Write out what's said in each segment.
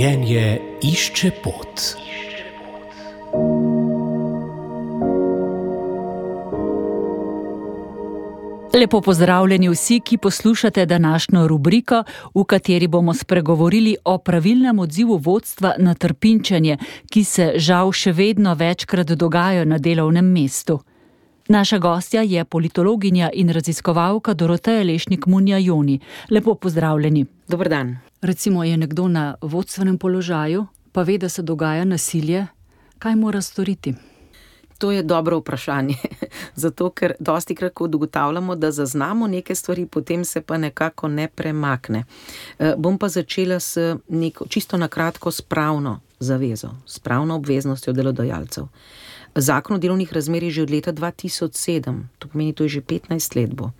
Življenje išče pot. Lepo pozdravljeni vsi, ki poslušate današnjo rubriko, v kateri bomo spregovorili o pravilnem odzivu vodstva na trpinčenje, ki se žal še vedno večkrat dogaja na delovnem mestu. Naša gostja je politologinja in raziskovalka Doroteja Lešnik-Munja-Joni. Lepo pozdravljeni. Dober dan. Recimo je nekdo na vodstvenem položaju, pa ve, da se dogaja nasilje. Kaj mora storiti? To je dobro vprašanje, zato ker dostikrat, ko ugotavljamo, da zaznamo neke stvari, potem se pa nekako ne premakne. Bom pa začela s neko, čisto na kratko, s pravno zavezo, s pravno obveznostjo delodajalcev. Zakon o delovnih razmerjih že od leta 2007, to pomeni, to je že 15 let bo,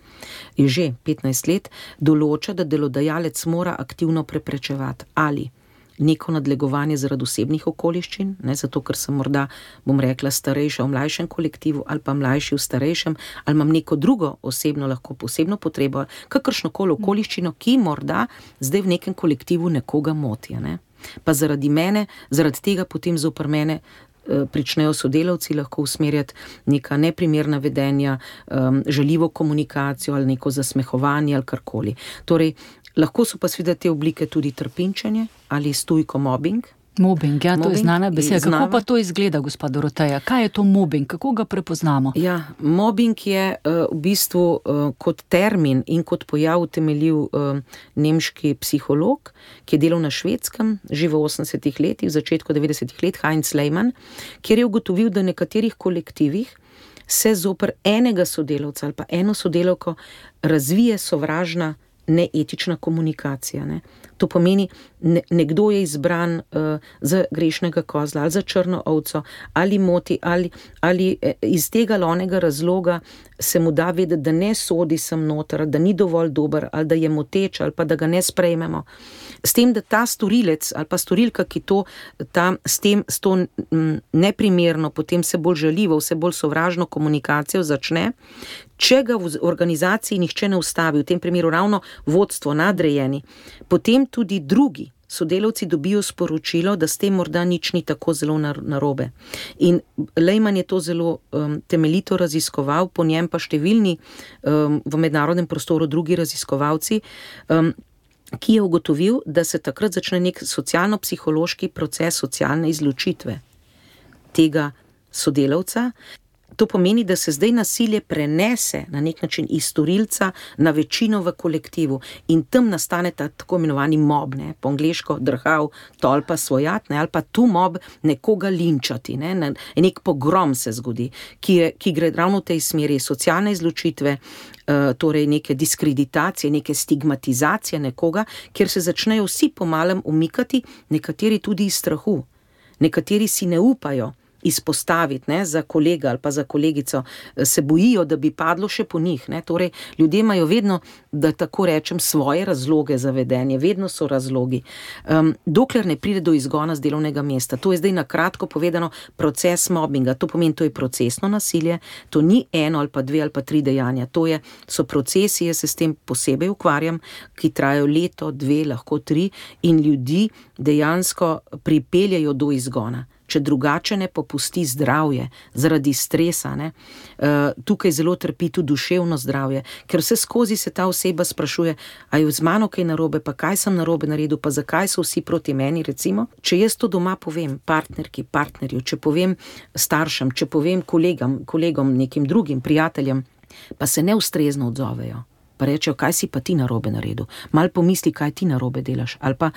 je že 15 let, določa, da delodajalec mora aktivno preprečevati ali neko nadlegovanje zaradi osebnih okoliščin, ne, zato ker sem morda, bom rekla, starejša v mlajšem kolektivu ali pa mlajši v starejšem, ali imam neko drugo osebno, lahko posebno potrebo, kakršnokoli okoliščino, ki morda zdaj v nekem kolektivu nekoga moti, ne. Pa zaradi mene, zaradi tega potem zoper mene pričnejo sodelavci lahko usmerjati neka neprimerna vedenja, žaljivo komunikacijo ali neko zasmehovanje ali karkoli. Torej, lahko so pa seveda te oblike tudi trpinčenje ali stujko mobbing. Mobbing, ja, to je znana beseda. Kako pa to izgleda, gospa Doroteja? Kaj je to mobbing? Kako ga prepoznamo? Ja, mobbing je v bistvu kot termin in kot pojav utemeljil nemški psiholog, ki je delal na Švedskem, že v 80-ih letih, v začetku 90-ih let, Heinz Lehmann, kjer je ugotovil, da v nekaterih kolektivih se zoper enega sodelavca ali pa eno sodelavko razvije sovražna neetična komunikacija. Ne. To pomeni, nekdo je izbran za grešnega kozla ali za črno ovco, ali moti, ali iz tega ali onega razloga se mu da vedeti, da ne sodi sem noter, da ni dovolj dober, ali da je moteč, ali pa da ga ne sprejmemo. S tem, da ta storilec ali pa storilka, ki to s to neprimerno, potem se bolj žaljivo, vse bolj sovražno komunikacijo začne, če ga v organizaciji nihče ne ustavi, v tem primeru ravno vodstvo, nadrejeni, potem tudi drugi sodelavci dobijo sporočilo, da s tem morda nič ni tako zelo narobe. In Lehmann je to zelo temeljito raziskoval, po njem pa številni v mednarodnem prostoru drugi raziskovalci, ki je ugotovil, da se takrat začne nek socialno-psihološki proces socialne izločitve tega sodelavca. To pomeni, da se zdaj nasilje prenese na nek način iz storilca na večino v kolektivu in tam nastane ta tako imenovani mob, ne, po angleško drhav, tolpa svojat, ne, ali pa tu mob nekoga linčati, ne, nek pogrom se zgodi, ki gre ravno v tej smeri socialne izločitve, torej neke diskreditacije, neke stigmatizacije nekoga, kjer se začnejo vsi pomalem umikati, nekateri tudi iz strahu, nekateri si ne upajo izpostaviti, ne, za kolega ali pa za kolegico, se bojijo, da bi padlo še po njih, ne, torej ljudje imajo vedno, da tako rečem, svoje razloge za vedenje, vedno so razlogi, dokler ne pride do izgona z delovnega mesta. To je zdaj na kratko povedano proces mobbinga, to pomeni, to je procesno nasilje, to ni eno ali pa dve ali pa tri dejanja, so procesi, jaz se s tem posebej ukvarjam, ki trajajo leto, dve, lahko tri in ljudi dejansko pripeljajo do izgona. Če drugače ne popusti zdravje zaradi stresa, ne, tukaj zelo trpi tudi duševno zdravje, ker vse skozi se ta oseba sprašuje, a je z mano kaj narobe, pa kaj sem narobe naredil, pa zakaj so vsi proti meni, recimo. Če jaz to doma povem partnerki, partnerju, če povem staršem, če povem kolegom, nekim drugim prijateljem, pa se neustrezno odzovejo. Pa rečejo, kaj si pa ti narobe naredil, malo pomisli, kaj ti narobe delaš, ali pa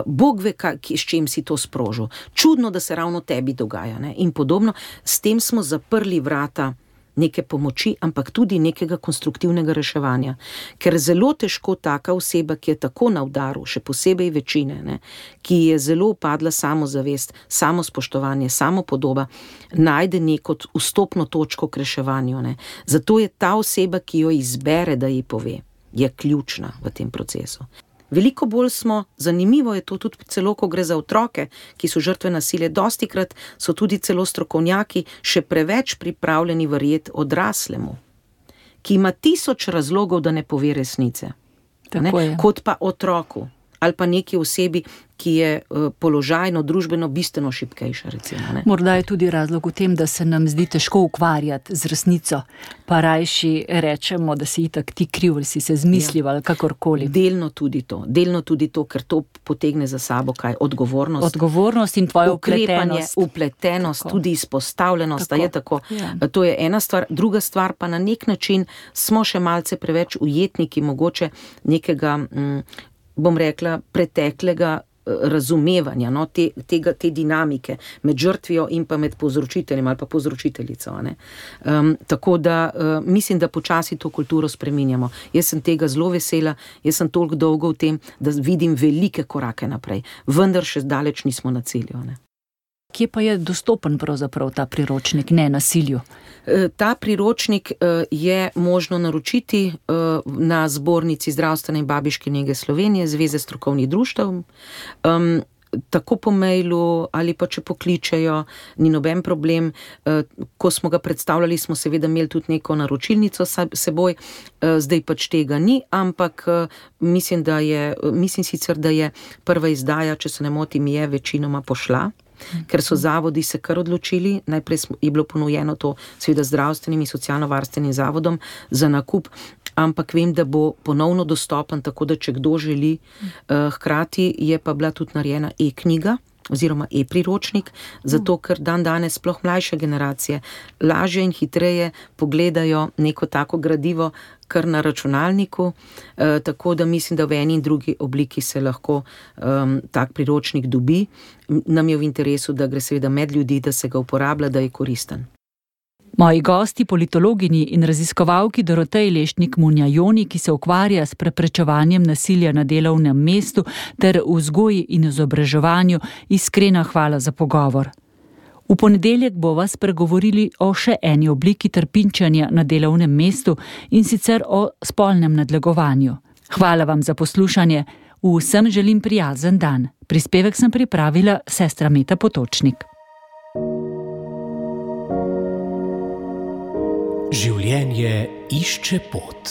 Bog ve, s čim si to sprožil, čudno, da se ravno tebi dogaja, ne? In podobno. S tem smo zaprli vrata neke pomoči, ampak tudi nekega konstruktivnega reševanja, ker zelo težko taka oseba, ki je tako na udaru, še posebej večine, ne, ki je zelo upadla samozavest, samospoštovanje, samopodoba, najde neko vstopno točko k reševanju, ne. Zato je ta oseba, ki jo izbere, da ji pove, je ključna v tem procesu. Veliko bolj smo, zanimivo je to tudi celo, ko gre za otroke, ki so žrtve nasilja, dostikrat so tudi celo strokovnjaki še preveč pripravljeni verjeti odraslemu, ki ima 1000 razlogov, da ne pove resnice, ne? Kot pa otroku. ali pa neki osebi, ki je položajno, družbeno bistveno šibkejša, recimo. Ne? Morda je tudi razlog v tem, da se nam zdi težko ukvarjati z resnico, pa rajši rečemo, da si itak ti kriv, ali si se zmislil ali kakorkoli. Delno tudi to, ker to potegne za sabo kaj? Odgovornost. Odgovornost in tvoja upletenost, tako. Tudi izpostavljenost, tako. Je tako. Ja. To je ena stvar. Druga stvar pa na nek način smo še malce preveč ujetniki mogoče nekega, bom rekla, preteklega razumevanja, no, te dinamike med žrtvijo in pa med povzročiteljem ali pa povzročiteljico. Tako da mislim, da počasi to kulturo spreminjamo. Jaz sem tega zelo vesela, jaz sem toliko dolgo v tem, da vidim velike korake naprej, vendar še daleč nismo na cilju. Ne. Kje pa je dostopen pravzaprav ta priročnik Nenasilju? Ta priročnik je možno naročiti na zbornici zdravstvene in babiške nege Slovenije, Zveze strokovnih društev, tako po mailu ali pa če pokličejo, ni noben problem. Ko smo ga predstavljali, smo seveda imeli tudi neko naročilnico seboj, zdaj pač tega ni, ampak mislim sicer, da je prva izdaja, če se ne motim, je večinoma pošla. Ker so zavodi se kar odločili, najprej je bilo ponujeno to seveda zdravstvenim in socialno-varstvenim zavodom za nakup, ampak vem, da bo ponovno dostopen, tako da če kdo želi, hkrati je pa bila tudi narejena e-knjiga oziroma e-priročnik, zato ker danes sploh mlajše generacije lažje in hitreje pogledajo neko tako gradivo kar na računalniku, tako da mislim, da v eni in drugi obliki se lahko tak priročnik dobi. Nam je v interesu, da gre seveda med ljudi, da se ga uporablja, da je koristen. Moji gosti, politologinji in raziskovalki Doroteji Lešnik-Munjajoni, ki se ukvarja s preprečevanjem nasilja na delovnem mestu ter vzgoji in izobraževanju, iskrena hvala za pogovor. V ponedeljek bova spregovorili o še eni obliki trpinčenja na delovnem mestu, in sicer o spolnem nadlegovanju. Hvala vam za poslušanje. Vsem želim prijazen dan. Prispevek sem pripravila sestra Meta Potočnik. Življenje išče pot.